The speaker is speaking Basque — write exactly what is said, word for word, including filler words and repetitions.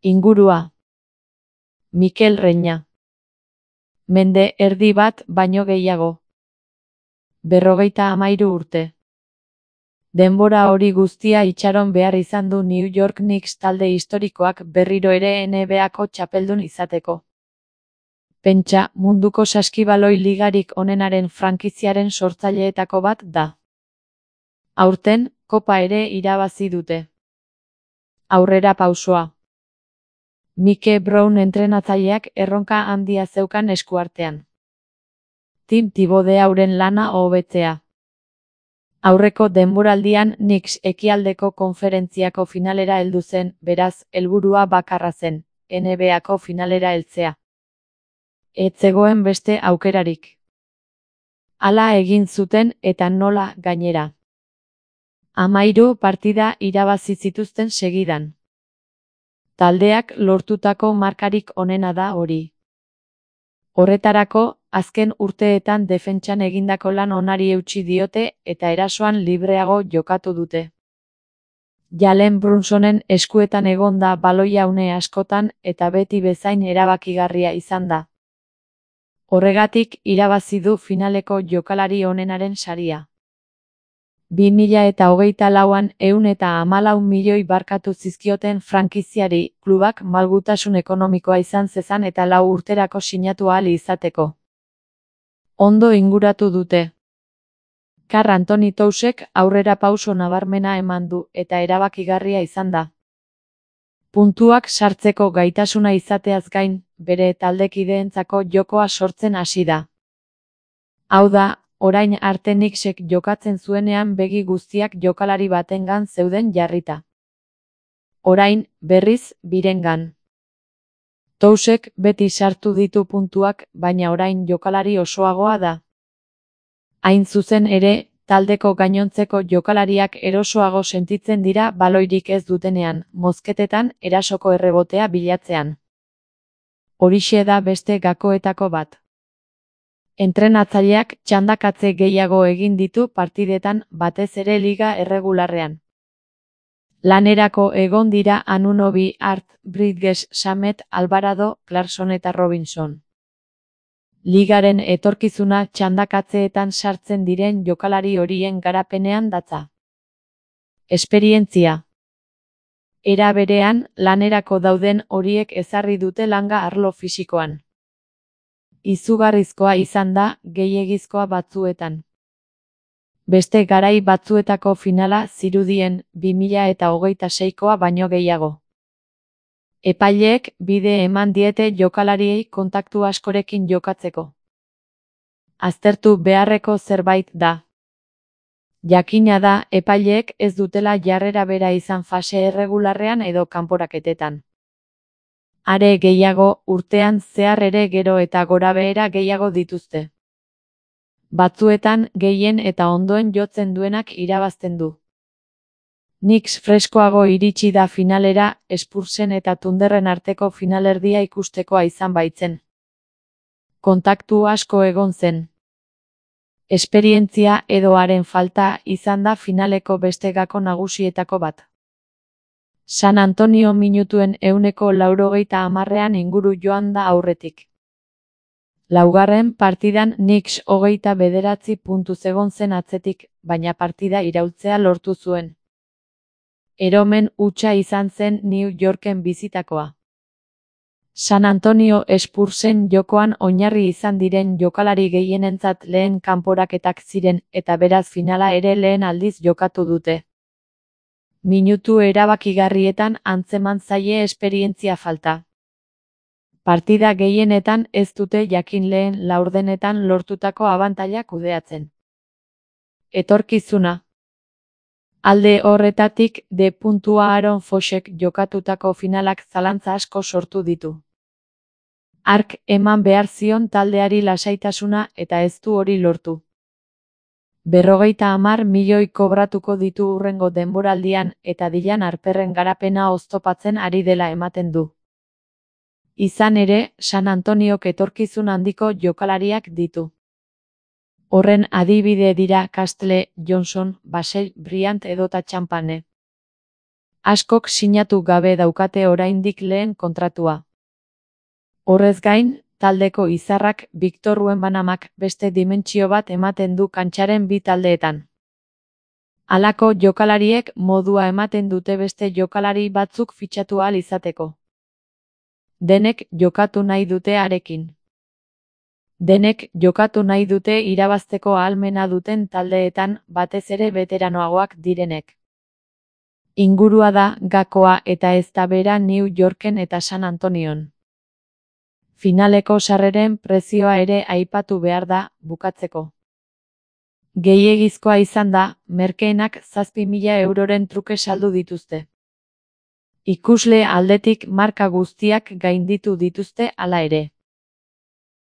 Ingurua. Mikel Reina. Mende erdi bat baino gehiago. Berrogeita hamairu urte. Denbora hori guztia itxaron behar izan du New York Knicks talde historikoak berriro ere N B A-ko txapeldun izateko. Pentsa, munduko saskibaloi ligarik onenaren frankiziaren sortzaileetako bat da. Aurten, kopa ere irabazi dute. Aurrera pausoa. Mike Brown entrenatzaileak erronka handia zeukan eskuartean. Tim Thibodeauren lana hobetzea. Aurreko denboraldian Knicks ekialdeko konferentziako finalera heldu zen, beraz, helburua bakarra zen, N B A-ko finalera heltzea. Ez zegoen beste aukerarik. Hala egin zuten eta nola gainera. Hamairu partida irabazi zituzten segidan. Taldeak lortutako markarik onena da hori. Horretarako, azken urteetan defentsan egindako lan onari eutsi diote eta erasoan libreago jokatu dute. Jalen Brunsonen eskuetan egon da baloia une askotan eta beti bezain erabakigarria izan da. Horregatik irabazi du finaleko jokalari onenaren saria. bi mila eta hogeita lauan ehun eta hamalau milioi barkatu zizkioten frankiziari, klubak malgutasun ekonomikoa izan zezan eta lau urterako sinatu ahal izateko. Ondo inguratu dute. Karl Anthony Townsek aurrera pauso nabarmena eman du eta erabakigarria izan da. Puntuak sartzeko gaitasuna izateaz gain, bere taldekideentzako jokoa sortzen hasi da. Hau da, orain arte Knicksek jokatzen zuenean begi guztiak jokalari batengan zeuden jarrita. Orain, berriz, birengan. Townsek beti sartu ditu puntuak, baina orain jokalari osoagoa da. Hain zuzen ere, taldeko gainontzeko jokalariak erosoago sentitzen dira baloirik ez dutenean, mozketetan erasoko errebotea bilatzean. Horixe da beste gakoetako bat. Entrenatzaileak txandakatze gehiago egin ditu partidetan, batez ere liga erregularrean. Lanerako egon dira Anunoby, Hart, Bridges, Shamet, Alvarado, Clarkson eta Robinson. Ligaren etorkizuna txandakatzeetan sartzen diren jokalari horien garapenean datza. Esperientzia. Era berean, lanerako dauden horiek ezarri dute langa arlo fisikoan. Izugarrizkoa izan da, gehiegizkoa batzuetan. Beste garai batzuetako finala zirudien bi mila eta hogeita seikoa baino gehiago. Epaileek bide eman diete jokalariei kontaktu askorekin jokatzeko. Aztertu beharreko zerbait da. Jakina da, epaileek ez dutela jarrera bera izan fase erregularrean edo kanporaketetan. Are gehiago, urtean zehar ere gero eta gorabehera gehiago dituzte. Batzuetan gehien eta ondoen jotzen duenak irabazten du. Knicks freskoago iritsi da finalera, Spursen eta Thunderren arteko finalerdia ikustekoa izan baitzen. Kontaktu asko egon zen. Esperientzia edo haren falta izan da finaleko beste gako nagusietako bat. San Antonio minutuen ehuneko laurogeita hamarrean inguru joan da aurretik. Laugarren partidan Knicks hogeita bederatzi puntuz egon zen atzetik, baina partida iraultzea lortu zuen. Eromen hutsa izan zen New Yorken bizitakoa. San Antonio Spursen jokoan oinarri izan diren jokalari gehienentzat lehen kanporaketak ziren eta beraz finala ere lehen aldiz jokatu dute. Minutu erabakigarrietan antzeman zaie esperientzia falta. Partida gehienetan ez dute jakin lehen laurdenetan lortutako abantaila kudeatzen. Etorkizuna. Alde horretatik, D. Aaron Foxek jokatutako finalak zalantza asko sortu ditu. Hark eman behar zion taldeari lasaitasuna eta ez du hori lortu. Berrogeita hamar milioi kobratuko ditu hurrengo denboraldian eta Dylan Harperren garapena oztopatzen ari dela ematen du. Izan ere, San Antoniok etorkizun handiko jokalariak ditu. Horren adibide dira Castle, Johnson, Basel, Bryant edota Champagne. Askok sinatu gabe daukate oraindik lehen kontratua. Horrez gain, taldeko izarrak Victor Wembanamak beste dimentsio bat ematen du kantxaren bi taldeetan. Halako jokalariek modua ematen dute beste jokalari batzuk fitxatu ahal izateko. Denek jokatu nahi dute harekin. Denek jokatu nahi dute irabazteko ahalmena duten taldeetan, batez ere beteranoagoak direnek. Ingurua da gakoa eta ez da bera New Yorken eta San Antonion. Finaleko sarreren prezioa ere aipatu behar da, bukatzeko. Gehiegizkoa izan da, merkeenak zazpi mila euroren truke saldu dituzte. Ikusle aldetik marka guztiak gainditu dituzte hala ere.